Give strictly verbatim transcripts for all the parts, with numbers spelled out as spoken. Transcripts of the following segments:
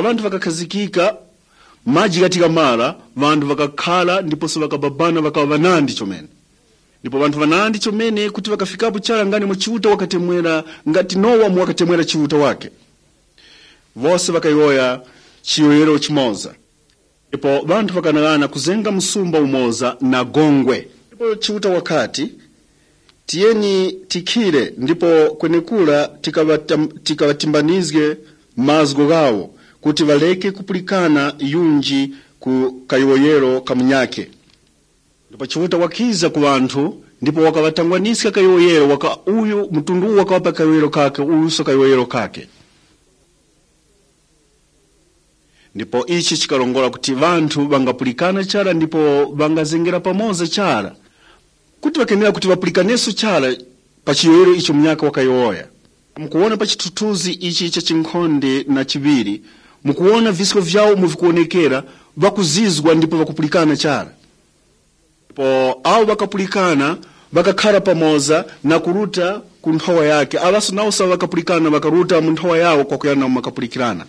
vantu vakakhazikika maji katika mara vantu vakakhala ndiponso vakababana vakava vanandi chomene ndipo vantu vanandi chomene kuti vakafikapo chala ngani mu chiuta wakatemwera ngati Nowa mu wakatemwera chiuta wake vose vakayoya chiyoyero chimoza ndipo vantu vakanalana kuzenga msumba umoza na gongwe ndipo chiuta wakati tiyeni tikhire ndipo kwenekula tikavatimbanizge mazgo gawo kuti valeke kupulikana yunji ku kayoyero kamunyake ndipo chiuta wakiza ku vantu ndipo wakavatangwanisa kayoyero waka uyu mtundu wakawapa kayoyero kake uyu so kayoyero kake ndipo ichi chikalongola kuti vantu vangapulikana chala ndipo vangazengera pamoza chala kuti vakenera kuti vapulikaneso chala pa chiyoyero icho mnyaka wakayoya mukuona pa chitutuzi ichi cha chinkhonde na chiviri mukuona visiko vyawo muvikuonekera vakuzizwa ndipo vakupulikana chala ndipo awo vakapulikana vakakhala pamoza na kuruta ku nthowa yake avaso nawo sawa vakapulikana vakaruta mu nthowa yawo kwa kuyana makapulikirana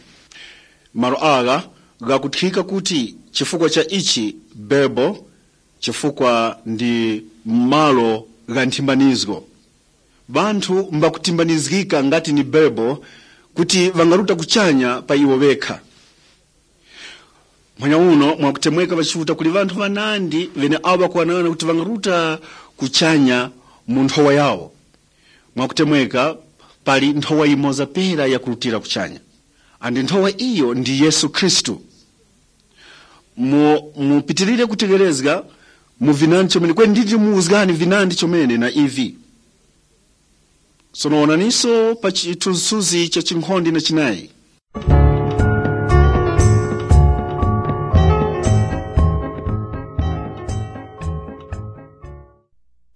maro aga gakuthika kuti chifukwa cha ichi bebo chifukwa ndi malo ga nthimbanizgo vantu mbakutimbanizgika ngati ni bebo kuti vangaruta kuchanya pa iwo vekha mwanya uno mwakutemweka vachiuta kuli vantu vanandi vene awo vakuwanana kuti vangaruta kuchanya mu nthowa yawo mwakutemweka pali nthowa imoza pera ya kurutira kuchanya andi nthowa iyo ndi Yesu Kristu mu mupitirire kutegerezga mu vinandi chomene kwe nditi muuzgani vinandi chomene na ivi sonoona niso pa chitusuzi cha chinkhonde na chinayi